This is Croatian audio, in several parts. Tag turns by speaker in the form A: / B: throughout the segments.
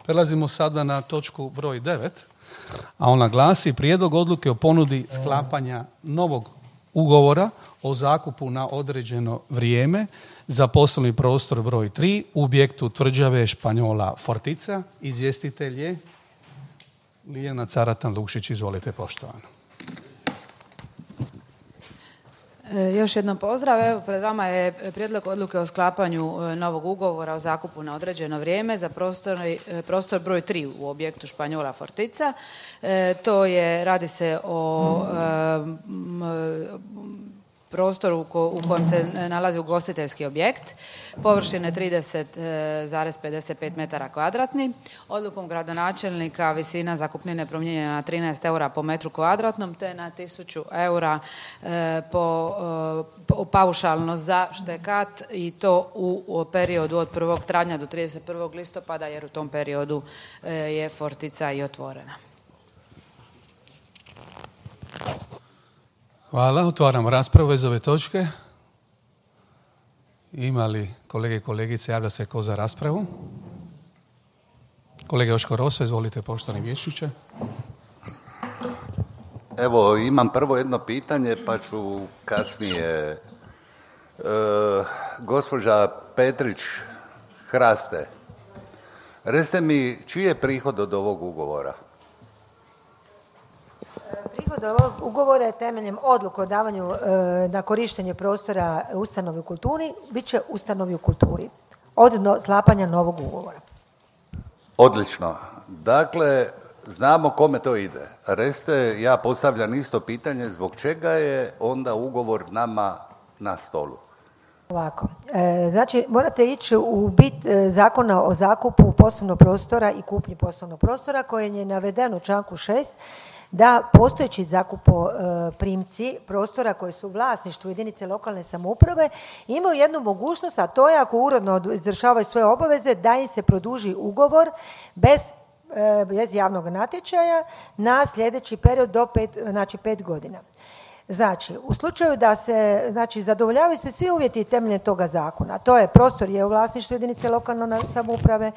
A: Prelazimo sada na točku broj 9, a ona glasi prijedlog odluke o ponudi sklapanja novog ugovora o zakupu na određeno vrijeme za poslovni prostor broj 3 u objektu tvrđave Španjola Fortica. Izvjestitelj je Ljiljana Caratan-Lukšić. Izvolite, poštovano.
B: Još jednom pozdrav. Evo, pred vama je prijedlog odluke o sklapanju novog ugovora o zakupu na određeno vrijeme za prostor broj 3 u objektu Španjola Fortica. Radi se o prostoru u kojem se nalazi ugostiteljski objekt, površine 30,55 metara kvadratni. Odlukom gradonačelnika visina zakupnine promijenjena na 13 eura po metru kvadratnom, te na 1000 eura paušalno za štekat, i to u periodu od 1. travnja do 31. listopada, jer u tom periodu je Fortica i otvorena.
A: Hvala. Otvaramo raspravu iz ove točke. Ima li kolege i kolegice, javlja se ko za raspravu? Kolega Joško Roso, izvolite, poštovani vijećniče.
C: Evo, imam prvo jedno pitanje, pa ću kasnije. Gospođa Petrić Hraste, recite mi, čiji je prihod od ovog ugovora?
D: Prihod ovog ugovora je temeljem odluke o davanju na korištenje prostora ustanovi u kulturi, bit će ustanovi u kulturi od sklapanja novog ugovora.
C: Odlično. Dakle, znamo kome to ide. Recite, ja postavljam isto pitanje, zbog čega je onda ugovor nama na stolu?
D: Ovako, znači morate ići u bit zakona o zakupu poslovnog prostora i kupnji poslovnog prostora, koje je navedeno u članku 6, da postojeći zakupoprimci prostora koji su u vlasništvu jedinice lokalne samouprave imaju jednu mogućnost, a to je ako uredno izvršavaju svoje obaveze, da im se produži ugovor bez javnog natječaja na sljedeći period do 5 godina. Znači, u slučaju da se, zadovoljavaju se svi uvjeti temeljem toga zakona, to je prostor je u vlasništvu jedinice lokalne samouprave,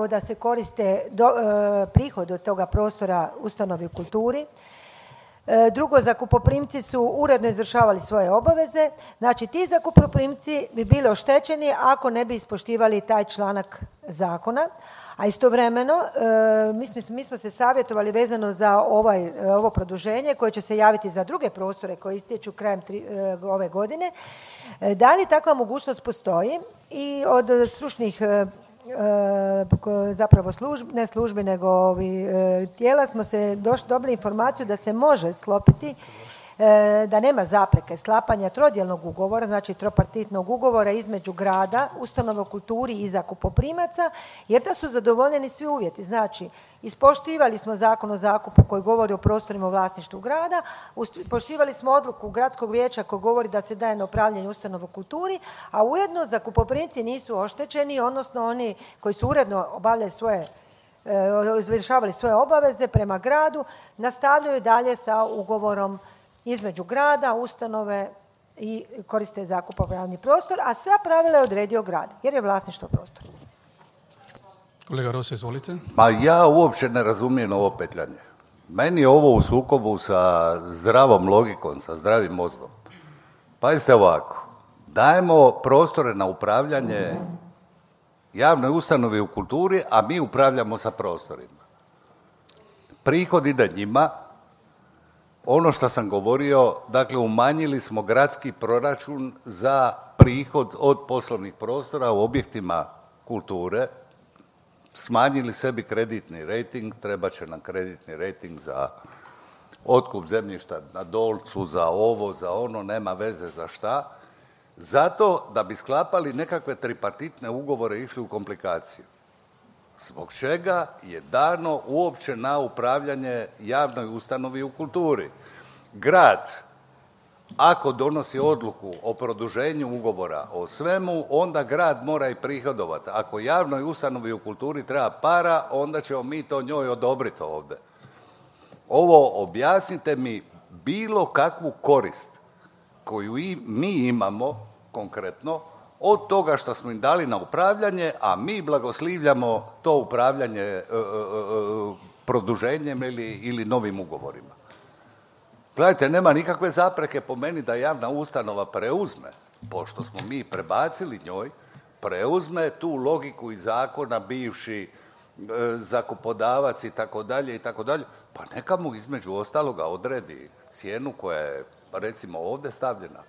D: da se koriste prihod od toga prostora ustanovi u kulturi. Drugo, zakupoprimci su uredno izvršavali svoje obaveze. Znači, ti zakupoprimci bi bili oštećeni ako ne bi ispoštivali taj članak zakona. A istovremeno, mi smo se savjetovali vezano za ovo produženje koje će se javiti za druge prostore koji istječu krajem ove godine. Da li takva mogućnost postoji? I od stručnih ne službi nego tijela smo se dobili informaciju da se može sklopiti, da nema zapreke sklapanja trodjelnog ugovora, znači tropartitnog ugovora između grada, ustanova u kulturi i zakupoprimaca, jer da su zadovoljeni svi uvjeti. Znači, ispoštivali smo zakon o zakupu koji govori o prostorima u vlasništvu grada, poštivali smo odluku gradskog vijeća koji govori da se daje na upravljanje ustanova u kulturi, a ujedno zakupoprimci nisu oštećeni, odnosno oni koji su uredno obavljali izvršavali svoje obaveze prema gradu, nastavljaju dalje sa ugovorom između grada, ustanove i koriste zakupopravni prostor, a sva pravila je odredio grad, jer je vlasništvo prostora.
A: Kolega Rosa, izvolite.
C: Ma ja uopće ne razumijem ovo petljanje. Meni je ovo u sukobu sa zdravom logikom, sa zdravim mozgom. Pazite ovako, dajemo prostore na upravljanje javnoj ustanovi u kulturi, a mi upravljamo sa prostorima. Prihod ide njima. Ono što sam govorio, dakle umanjili smo gradski proračun za prihod od poslovnih prostora u objektima kulture, smanjili sebi kreditni rejting, treba će nam kreditni rejting za otkup zemljišta na Dolcu, za ovo, za ono, nema veze za šta, zato da bi sklapali nekakve tripartitne ugovore i išli u komplikaciju. Zbog čega je dano uopće na upravljanje javnoj ustanovi u kulturi. Grad, ako donosi odluku o produženju ugovora o svemu, onda grad mora i prihodovati. Ako javnoj ustanovi u kulturi treba para, onda ćemo mi to njoj odobriti ovdje. Ovo objasnite mi bilo kakvu korist koju mi imamo konkretno od toga što smo im dali na upravljanje, a mi blagoslivljamo to upravljanje produženjem ili novim ugovorima. Gledajte, nema nikakve zapreke po meni da javna ustanova preuzme, pošto smo mi prebacili njoj, preuzme tu logiku iz zakona, bivši zakupodavac i tako dalje, pa neka mu između ostaloga odredi cijenu koja je, recimo, ovdje stavljena.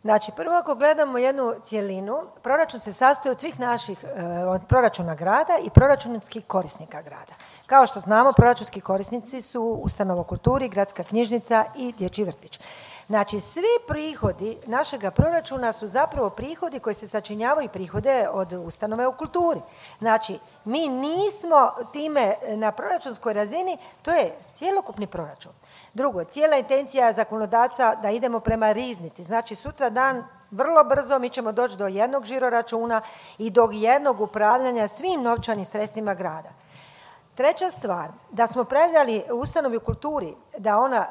D: Znači, prvo ako gledamo jednu cjelinu, proračun se sastoji od svih naših, od proračuna grada i proračunskih korisnika grada. Kao što znamo, proračunski korisnici su ustanova u kulturi, gradska knjižnica i dječji vrtić. Znači, svi prihodi našega proračuna su zapravo prihodi koji se sačinjavaju prihode od ustanove u kulturi. Znači, mi nismo time na proračunskoj razini, to je cjelokupni proračun. Drugo, cijela intencija zakonodavca da idemo prema riznici. Znači, sutra dan, vrlo brzo mi ćemo doći do jednog žiroračuna i do jednog upravljanja svim novčanim sredstvima grada. Treća stvar, da smo predali ustanovi u kulturi da ona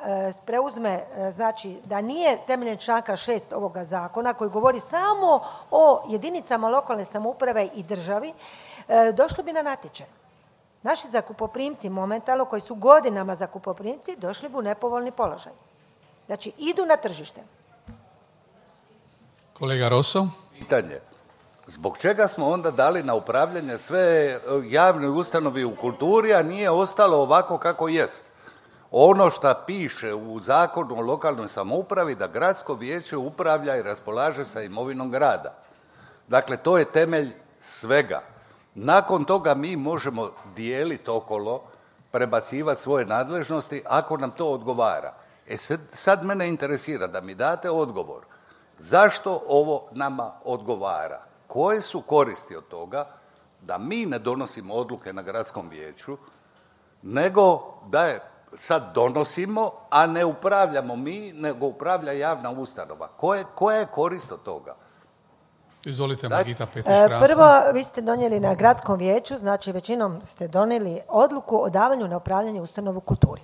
D: preuzme, znači da nije temeljem članka 6 ovoga zakona koji govori samo o jedinicama lokalne samouprave i državi, došlo bi na natječaj. Naši zakupoprimci momentalno, koji su godinama zakupoprimci, došli bi u nepovoljni položaj. Znači, idu na tržište.
A: Kolega Rosso.
C: Pitanje. Zbog čega smo onda dali na upravljanje sve javne ustanovi u kulturi, a nije ostalo ovako kako jest? Ono što piše u zakonu o lokalnoj samoupravi da gradsko vijeće upravlja i raspolaže sa imovinom grada. Dakle, to je temelj svega. Nakon toga mi možemo dijeliti okolo, prebacivati svoje nadležnosti ako nam to odgovara. Sad mene interesira da mi date odgovor. Zašto ovo nama odgovara? Koje su koristi od toga da mi ne donosimo odluke na gradskom vijeću, nego da je sad donosimo, a ne upravljamo mi, nego upravlja javna ustanova? Koja je korist od toga?
A: Izvolite, Margita Petrić-Krasna.
D: Prvo, vi ste donijeli na gradskom vijeću, znači većinom ste donijeli odluku o davanju na upravljanje ustanovu kulturi.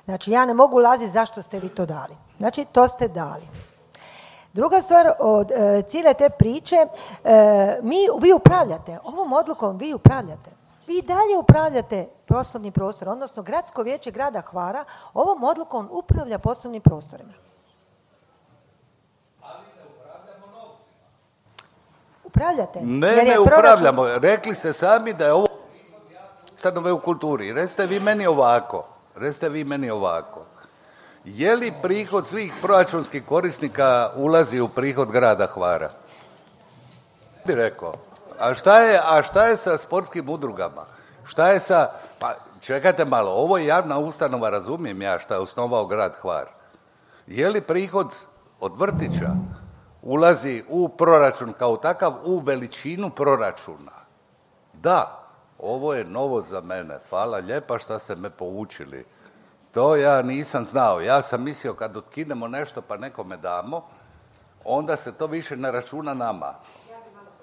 D: Znači, ja ne mogu ulaziti zašto ste vi to dali. Znači, to ste dali. Druga stvar od cijele te priče, vi upravljate, ovom odlukom vi upravljate. Vi dalje upravljate poslovnim prostorom, odnosno gradsko vijeće grada Hvara ovom odlukom upravlja poslovnim prostorima.
C: Ali ne upravljamo novcima.
D: Upravljate.
C: Ne upravljamo. Rekli ste sami da je ovo ustanove u kulturi. Recite vi meni ovako. Je li prihod svih proračunskih korisnika ulazi u prihod grada Hvara? Bi rekao. A šta je sa sportskim udrugama? Šta je sa... Pa čekajte malo, ovo je javna ustanova, razumijem ja šta je osnovao grad Hvar. Je li prihod od vrtića ulazi u proračun kao takav, u veličinu proračuna? Da, ovo je novo za mene. Hvala lijepa što ste me poučili. To ja nisam znao. Ja sam mislio kad otkinemo nešto pa nekome damo, onda se to više ne računa nama.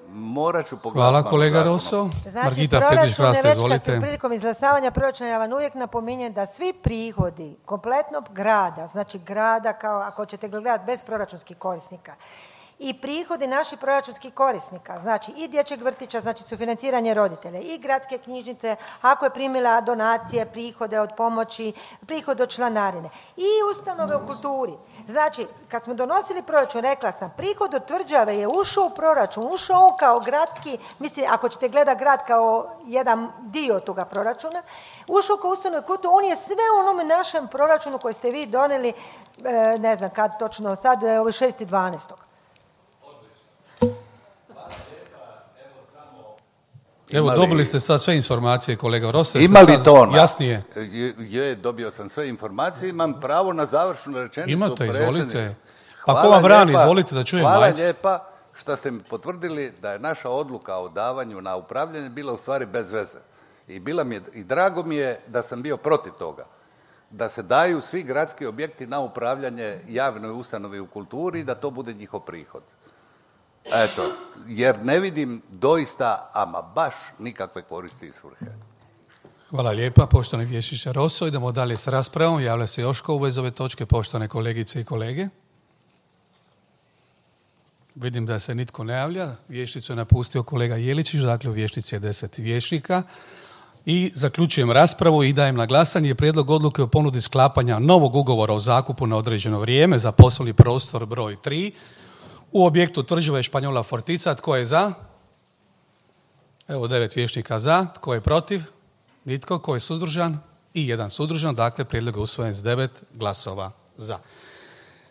C: Morat ću pogledati.
A: Hvala kolega Rosso.
D: Znači,
A: Margita Petrić-Krasna, izvolite.
D: Prilikom izglasavanja proračuna ja vam uvijek napominjem da svi prihodi kompletnog grada, znači grada kao ako ćete gledati bez proračunskih korisnika, i prihodi naših proračunskih korisnika, znači i dječjeg vrtića, znači sufinanciranje roditelja, i gradske knjižnice, ako je primila donacije, prihode od pomoći, prihod od članarine, i ustanove u kulturi. Znači, kad smo donosili proračun, rekla sam, prihod od tvrđave je ušao u proračun, ušao on kao gradski, mislim, ako ćete gledati grad kao jedan dio toga proračuna, ušao kao ustanove u kulturi, on je sve u onome našem proračunu koji ste vi donijeli, ne znam kad točno, sad 6.12.
A: Evo, dobili ste sad sve informacije, kolega Rosso.
C: Ima li to ona?
A: Jasnije.
C: Je, dobio sam sve informacije, imam pravo na završnu rečenicu.
A: Imate, izvolite. Pa ko vam brani, izvolite da čujem.
C: Hvala lijepa što ste mi potvrdili da je naša odluka o davanju na upravljanje bila u stvari bez veze. I drago mi je da sam bio protiv toga. Da se daju svi gradski objekti na upravljanje javnoj ustanovi u kulturi i da to bude njihov prihod. Eto, jer ne vidim doista, ama baš nikakve koristi i svrhe.
A: Hvala lijepa, poštovani vijećniče Rosso. Idemo dalje s raspravom. Javlja se Joško u vezi ove točke, poštovane kolegice i kolege. Vidim da se nitko ne javlja. Vješticu je napustio kolega Jeličić, dakle u vještici je 10 vješnika. I zaključujem raspravu i dajem na glasanje prijedlog odluke o ponudi sklapanja novog ugovora o zakupu na određeno vrijeme za poslovni prostor broj 3 u objektu Tvrđave Španjola Fortica. Tko je za? Evo 9 vješnika za. Tko je protiv? Nitko. Tko je suzdržan? I jedan suzdržan. Dakle, prijedlog je usvojen s 9 glasova za.